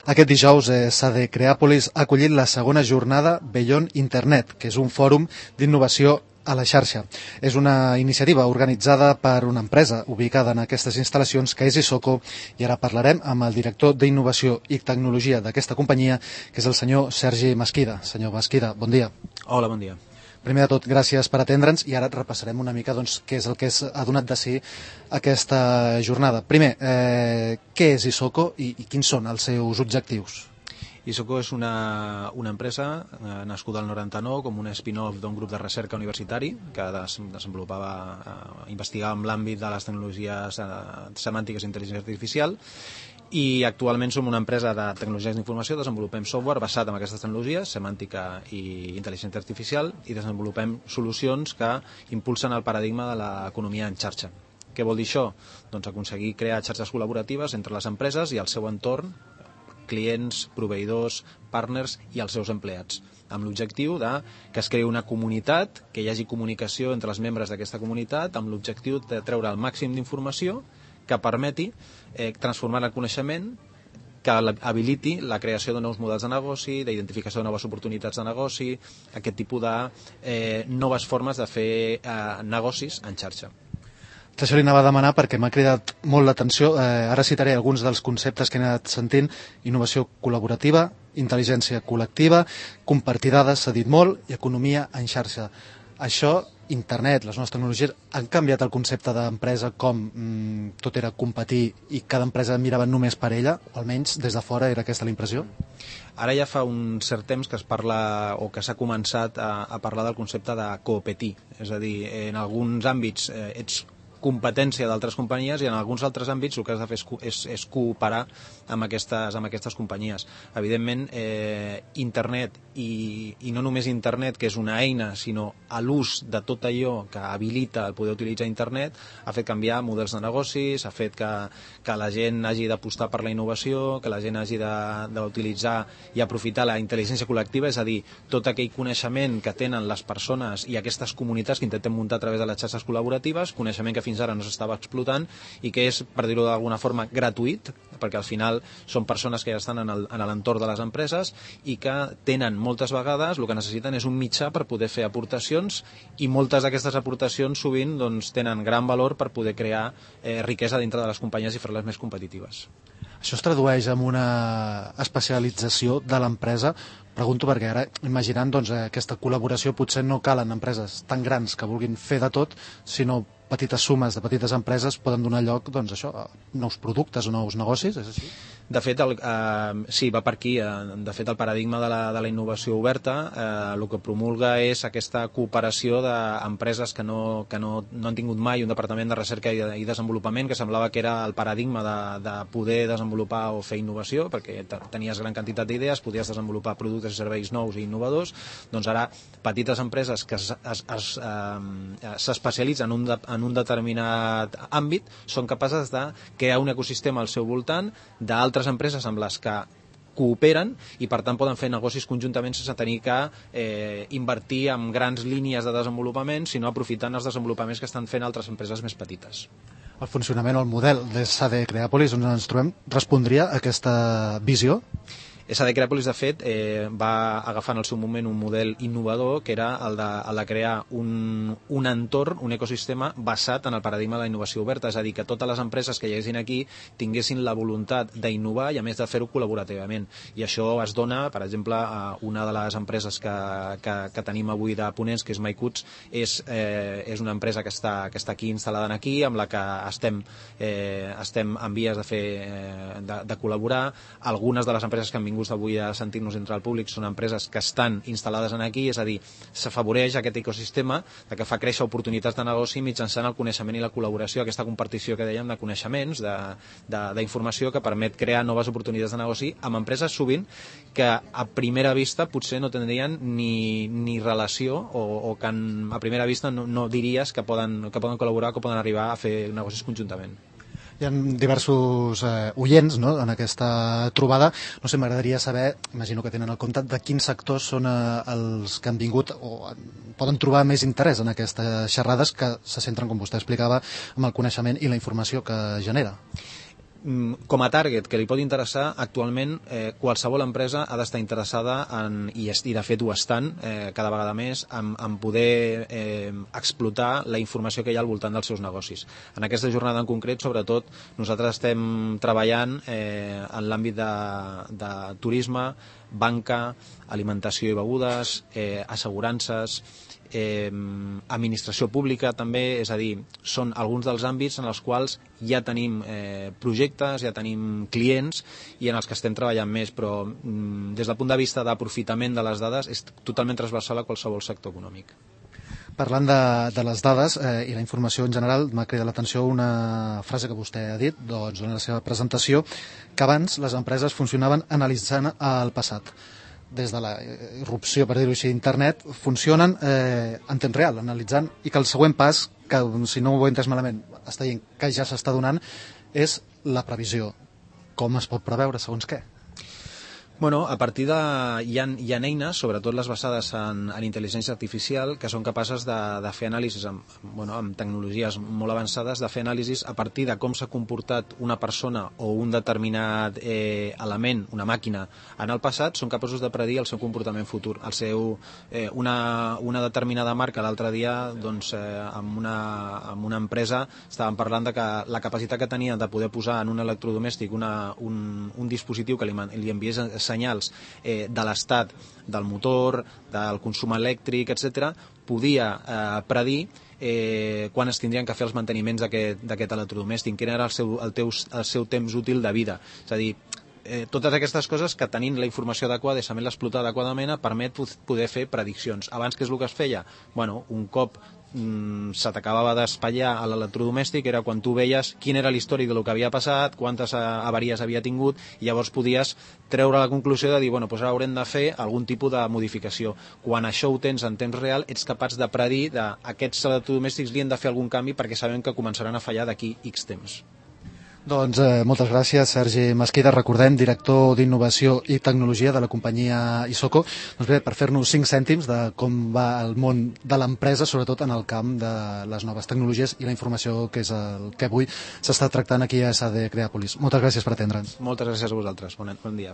Aquest dijous, SADE Creàpolis ha acollit la segona jornada Beyond Internet, que és un fòrum d'innovació a la xarxa. És una iniciativa organitzada per una empresa ubicada en aquestes instal·lacions, que és Isoko, i ara parlarem amb el director d'Innovació i Tecnologia d'aquesta companyia, que és el senyor Sergi Mesquida. Senyor Mesquida, bon dia. Hola, bon dia. Primer de tot, gràcies per atendre'ns i ara repassarem una mica què és el que ha donat de si aquesta jornada. Primer, què és Isoko i quins són els seus objectius? Isoko és una empresa nascuda al 99 com un spin-off d'un grup de recerca universitari que investigava en l'àmbit de les tecnologies semàntiques i intel·ligència artificial, i actualment som una empresa de tecnologies d'informació, desenvolupem software basat en aquestes tecnologies, semàntica i intel·ligència artificial, i desenvolupem solucions que impulsen el paradigma de l'economia en xarxa. Què vol dir això? Doncs aconseguir crear xarxes col·laboratives entre les empreses i el seu entorn, clients, proveïdors, partners i els seus empleats, amb l'objectiu que es creï una comunitat, que hi hagi comunicació entre els membres d'aquesta comunitat, amb l'objectiu de treure el màxim d'informació que permeti transformar el coneixement, que habiliti la creació de nous models de negoci, d'identificació de noves oportunitats de negoci, aquest tipus de noves formes de fer negocis en xarxa. Això li anava a demanar perquè m'ha cridat molt l'atenció. Ara citaré alguns dels conceptes que he anat sentint: innovació col·laborativa, intel·ligència col·lectiva, compartir dades, s'ha dit molt, i economia en xarxa. Això, internet, les noves tecnologies, han canviat el concepte d'empresa, com tot era competir i cada empresa mirava només per ella, o almenys des de fora era aquesta la impressió? Ara ja fa un cert temps que es parla o que s'ha començat a parlar del concepte de competir, és a dir, en alguns àmbits ets competència d'altres companyies i en alguns altres àmbits el que has de fer és cooperar amb aquestes companyies. Evidentment, internet, i no només internet, que és una eina, sinó a l'ús de tot allò que habilita el poder utilitzar internet, ha fet canviar models de negocis, ha fet que la gent hagi d'apostar per la innovació, que la gent hagi d'utilitzar i aprofitar la intel·ligència col·lectiva, és a dir, tot aquell coneixement que tenen les persones i aquestes comunitats que intentem muntar a través de les xarxes col·laboratives, coneixement que fins ara no s'estava explotant i que és, per dir-ho d'alguna forma, gratuït, perquè al final són persones que ja estan en l'entorn de les empreses i que tenen moltes vegades, el que necessiten és un mitjà per poder fer aportacions, i moltes d'aquestes aportacions sovint tenen gran valor per poder crear riquesa dintre de les companyies i fer-les més competitives. Això es tradueix en una especialització de l'empresa? Pregunto perquè ara, imaginant aquesta col·laboració, potser no calen empreses tan grans que vulguin fer de tot, sinó petites sumes de petites empreses poden donar lloc a nous productes o nous negocis, és així? De fet, sí, va per aquí. De fet, el paradigma de la innovació oberta el que promulga és aquesta cooperació d'empreses que no han tingut mai un departament de recerca i desenvolupament, que semblava que era el paradigma de poder desenvolupar o fer innovació, perquè tenies gran quantitat d'idees, podies desenvolupar productes i serveis nous i innovadors. Doncs ara, petites empreses que s'especialitzen en un determinat àmbit són capaces de crear un ecosistema al seu voltant d'altres empreses amb les que cooperen i per tant poden fer negocis conjuntament sense tenir que invertir en grans línies de desenvolupament, sinó aprofitant els desenvolupaments que estan fent altres empreses més petites. El funcionament o el model de SADE Creàpolis, on ens trobem, respondria a aquesta visió? SADE Creàpolis, de fet, va agafar en el seu moment un model innovador, que era el de crear un entorn, un ecosistema basat en el paradigma de la innovació oberta, és a dir, que totes les empreses que hi haguessin aquí tinguessin la voluntat d'innovar i a més de fer-ho col·laborativament. I això es dona, per exemple, a una de les empreses que tenim avui de ponents, que és MyCuts, és una empresa que està aquí instal·lada aquí, amb la que estem en vies de col·laborar. Algunes de les empreses que han vingut avui a sentir-nos entre el públic són empreses que estan instal·lades aquí, és a dir, s'afavoreix aquest ecosistema que fa créixer oportunitats de negoci mitjançant el coneixement i la col·laboració, aquesta compartició que dèiem de coneixements, d'informació, que permet crear noves oportunitats de negoci amb empreses sovint que a primera vista potser no tindrien ni relació o que a primera vista no diries que poden col·laborar, que poden arribar a fer negocis conjuntament. Hi ha diversos oients en aquesta trobada. No sé, m'agradaria saber, imagino que tenen el compte, de quins sectors són els que han vingut o poden trobar més interès en aquestes xerrades que se centren, com vostè explicava, en el coneixement i la informació que genera. Com a target que li pot interessar, actualment qualsevol empresa ha d'estar interessada i de fet ho estan cada vegada més en poder explotar la informació que hi ha al voltant dels seus negocis. En aquesta jornada en concret, sobretot, nosaltres estem treballant en l'àmbit de turisme, banca, alimentació i begudes, assegurances, administració pública també, és a dir, són alguns dels àmbits en els quals ja tenim projectes, ja tenim clients i en els que estem treballant més, però des del punt de vista d'aprofitament de les dades és totalment transversal a qualsevol sector econòmic. Parlant de les dades i la informació en general, m'ha cridat l'atenció una frase que vostè ha dit durant la seva presentació, que abans les empreses funcionaven analitzant el passat. Des de la irrupció, per dir-ho així, d'internet, funcionen en temps real, analitzant, i que el següent pas, que si no ho he entès malament, està dient que ja s'està donant, és la previsió. Com es pot preveure, segons què? Bueno, a partir de... Hi ha eines, sobretot les basades en intel·ligència artificial, que són capaces de fer anàlisis amb tecnologies molt avançades, de fer anàlisis a partir de com s'ha comportat una persona o un determinat element, una màquina, en el passat, són capaços de predir el seu comportament futur. Una determinada marca l'altre dia, doncs, amb una empresa, estàvem parlant de que la capacitat que tenia de poder posar en un electrodomèstic un dispositiu que li enviés senyals de l'estat del motor, del consum elèctric, etc., podia predir quan es tindrien que fer els manteniments d'aquest electrodomèstic, quin era el seu temps útil de vida. És a dir, totes aquestes coses que tenint la informació adequada i sabent l'explotar adequadament permet poder fer prediccions. Abans, què és el que es feia? Bueno, un cop se t'acabava d'espatllar a l'electrodomèstic era quan tu veies quin era l'històric del que havia passat, quantes avaries havia tingut, i llavors podies treure la conclusió de dir, bueno, doncs ara haurem de fer algun tipus de modificació. Quan això ho tens en temps real, ets capaç de predir que aquests electrodomèstics li han de fer algun canvi perquè sabem que començaran a fallar d'aquí X temps. Doncs moltes gràcies, Sergi Mesquida, recordem, director d'Innovació i Tecnologia de la companyia Isoko. Doncs bé, per fer-nos 5 cèntims de com va el món de l'empresa, sobretot en el camp de les noves tecnologies i la informació, que és el que avui s'està tractant aquí a SD Creàpolis. Moltes gràcies per atendre'ns. Moltes gràcies a vosaltres. Bon dia.